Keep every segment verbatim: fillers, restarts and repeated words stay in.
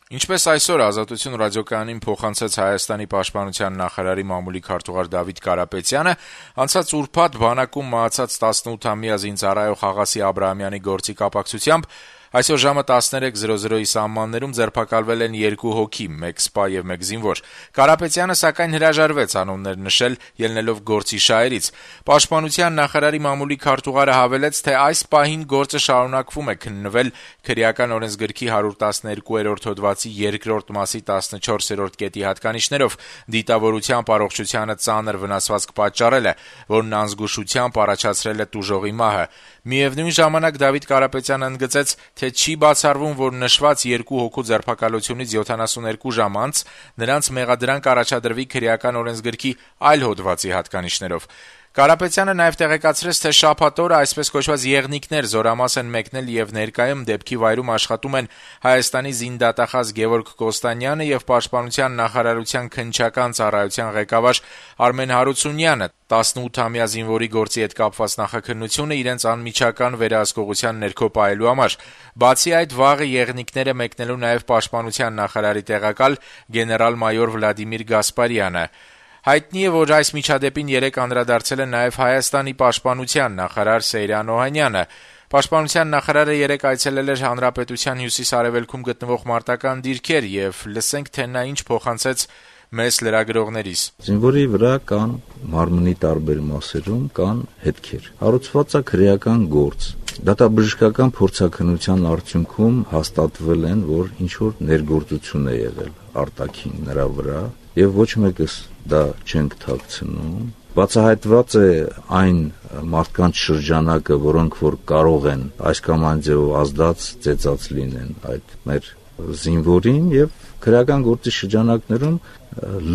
Ինչպես այսօր «Ազատություն» ռադիոկայանին փոխանցեց Հայաստանի պաշտպանության նախարարի մամուլի քարտուղար Դավիթ Կարապետյանը, անցած ուրբաթ բանակում մահացած տասնութամյա զինծառայող Աղասի Աբրահամյանի գործի կապակցությամբ այսօր ժամը տասներեք զրո զրոյի սահմաններում ձերբակալվել են երկու հոգի, մեկ սպա եւ մեկ զինվոր։ Կարապետյանը սակայն հրաժարվեց անուններ նշել, ելնելով գործի շահերից։ Պաշտպանության նախարարի մամուլի քարտուղարը հավելեց, թե այս պահին գործը շարունակվում է քննվել քրեական օրենսգրքի հարյուր տասներկուերորդ հոդվածի երկրորդ մասի տասնչորսերորդ կետի հատկանիշներով դիտավորությամբ առողջությանը ծանր վնասվածք պատճառել է, որն անզգուշությամբ առաջացրել է տուժողի մահը։ Միևնույն ժամանակ Դավիթ Կարապետյանը ընդգծեց, թե չի բացառվում, որ նշված երկու հոգու ձերբակալությունից յոթանասուներկու ժամ անց նրանց մեղադրանք առաջադրվի քրեական օրենսգրքի այլ հոդվածի հատկանիշներով։ Կարապետյանը նաև տեղեկացրեց, թե շաբաթ օրը այսպես կոչված եղնիկներ զորամաս են մեկնել եւ ներկայում դեպքի վայրում աշխատում են Հայաստանի զինդատախազ Գևորգ Կոստանյանը եւ Պաշտպանության նախարարության քննչական ծառայության ղեկավար Արմեն Հարությունյանը։ տասնութամյա զինվորի գործի հետ կապված նախաքննությունը իրենց անմիջական վերահսկողության ներքո պահելու համար։ Բացի այդ, վաղը եղնիկները մեկնելու նաև Պաշտպանության նախարարի տեղակալ գեներալ-մայոր Վլադիմիր Գասպարյանը։ Հայտնի է, որ այս միջադեպին երեկ անդրադարձել է նաև Հայաստանի պաշտպանության նախարար Սեյրան Օհանյանը։ Պաշտպանության նախարարը երեկ այցելել էր Հանրապետության հյուսիս-արևելքում գտնվող մարտական դիրքեր եւ լսենք, թե նա ինչ փոխանցեց մեծ լրագրողներիս։ Զինվորի վրա կան մարմնի տարբեր մասերում կան հետքեր։ Հարուցված է քրեական գործ։ Դատաբժշկական փորձաքննության արդյունքում հաստատվել են, որ ինչ որ ներգործություն է եղել արտաքին նրա վրա եւ ոչ մեկս դա չենք թաքցնում։ Բացահայտված է այն մարդկանց շրջանակը, որոնք որ կարող են այս կամ այն ձևով ազդած ծեծած լինեն այդ մեր զինվորին եւ քրեական գործի շրջանակներում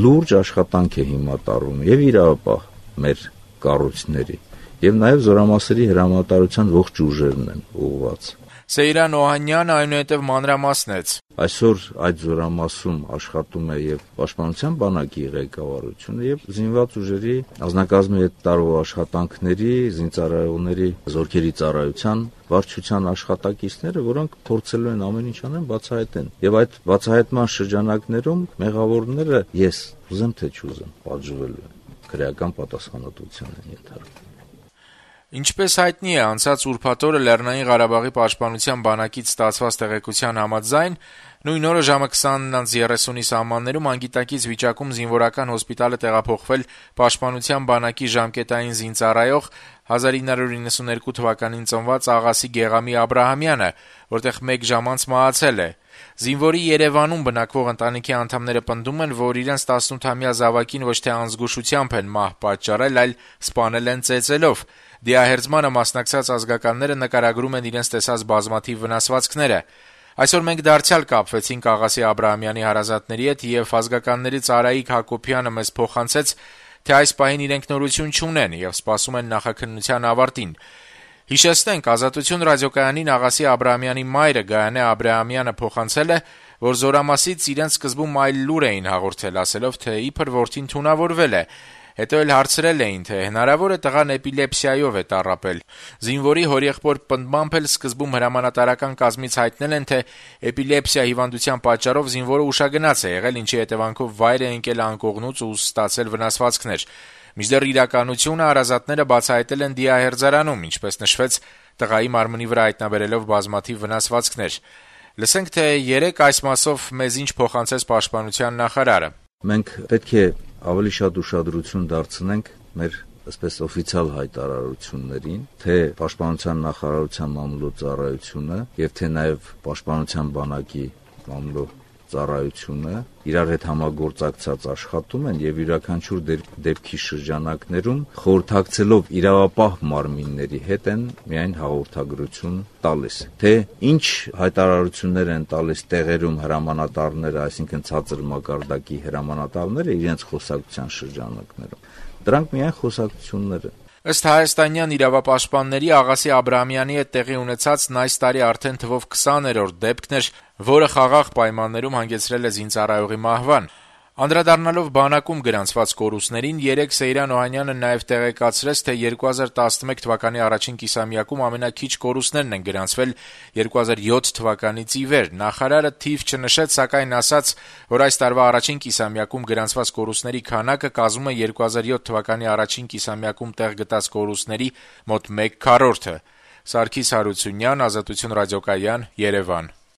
լուրջ աշխատանք է հիմա տարվում եւ իրավապահ մեր կառույցների եւ նաեւ զորամասերի հրամանատարության ողջ ուժերն են ուղղված։ Սեյրան Օհանյանը այնուհետև մանրամասնեց. Այսօր այդ զորամասում աշխատում է եւ Պաշտպանության բանակի ղեկավարությունը եւ զինված ուժերի ազնագազմի հետ տարվող աշխատանքների, զինծառայողների զորքերի ծառայության վարչության աշխատակիցները, որոնք փորձելու են ամեն ինչ անեն բացահայտեն։ Եվ այդ բացահայտման շրջանակներում մեղավորները ես ուզեմ թե չուզեմ պատժվելու են, քրեական պատասխանատվության են ենթարկվում։ Ինչպես հայտնի է, անցած ուրբաթ օրը Լեռնային Ղարաբաղի պաշտպանության բանակից ստացված տեղեկության համաձայն նույն օրը ժամը քսանից երեսունի սահմաններում անգիտակից վիճակում զինվորական հոսպիտալ է տեղափոխվել պաշտպանության բանակի ժամկետային զինծառայող հազար ինը հարյուր իննսուներկու թվականին ծնված Աղասի Գեղամի Աբրահամյանը, որտեղ մեկ ժամ անց մահացել է։ Զինվորի Երևանում բնակվող ընտանիքի անդամները պնդում են, որ իրենց տասնութամյա զավակին ոչ թե անզգուշությամբ են մահ պատճառել, այլ սպանել են ծեծելով։ Դիահերձմանը մասնակցած ազգականները նկարագրում են իրենց տեսած բազմաթիվ վնասվածքները։ Այսօր մենք դարձյալ կապվեցինք Աղասի Աբրահամյանի հարազատների հետ եւ ազգականներից Արայիկ Հակոբյանը մեզ փոխանցեց, թե այս պահին իրենք նորություն չունեն եւ սպասում են նախաքննության ավարտին։ Հիշեցնենք, Ազատություն ռադիոկայանին Աղասի Աբրահամյանի մայրը Գայանե Աբրահամյանը փոխանցել է, որ զորամասից իրենց սկզբում այլ լուր էին հաղորդել, ասելով, թե իբր որդին թունավորվել է։ Հետո էլ հարցրել էին, թե հնարավոր է տղան էպիլեպսիայով է տառապել։ Զինվորի հորեղբոր պնդմամբ էլ սկզբում հրամանատարական կազմից հայտնել են, թե էպիլեպսիա հիվանդության պատճառով զինվորը ուշագնաց է եղել, ինչի հետևանքով վայր է ընկել անկողնուց ու ստացել վնասվածքներ։ Մինչդեռ իրականությունը հարազատները բացահայտել են դիահերձարանում, ինչպես նշվեց, տղայի մարմնի վրա հայտնաբերելով բազմաթիվ վնասվածքներ։ Լսենք, թե երեկ այս մասով մեզ ինչ փոխանցեց Պաշտպանության նախարարը։ Մենք պետք է ավելի շատ ուշադրություն դարձնենք մեր այսպես օֆիցիալ հայտարարություններին, թե Պաշտպանության նախարարության մամուլի ծառայությունը եւ թե նաեւ Պաշտպանության բանակի մամուլի ծառայությունը իրար հետ համագործակցած աշխատում են եւ յուրաքանչյուր դեպքի շրջանակներում խորհրդակցելով իրավապահ մարմինների հետ են միայն հաղորդագրություն տալիս, թե ինչ հայտարարություններ են տալիս տեղերում հրամանատարները, այսինքն ցածր մակարդակի հրամանատարները իրենց խոսակցության շրջանակներում։ Դրանք միայն խոսակցություններ են։ Ըստ հայաստանյան իրավապաշտպանների Աղասի Աբրահամյանի հետ տեղի ունեցածն այս տարի արդեն թվով քսաներորդ դեպքն էր, որը խաղաղ պայմաններում հանգեցրել է զինծառայողի մահվան։ Անդրադառնալով բանակում գրանցված կորուստներին, երեկ Սեյրան Օհանյանը նաև տեղեկացրեց, թե երկու հազար տասնմեկ թվականի առաջին կիսամյակում ամենաքիչ կորուստներն են գրանցվել երկու հազար յոթ թվականից ի վեր։ Նախարարը թիվ չնշեց, սակայն ասաց, որ այս տարվա առաջին կիսամյակում գրանցված կորուստների քանակը կազմում է երկու հազար յոթ թվականի առաջին կիսամյակում տեղ գտած կորուստների մոտ մեկ քառորդը։ Սարգիս Հարությունյան, Ազատություն ռադիոկայան, Երևան։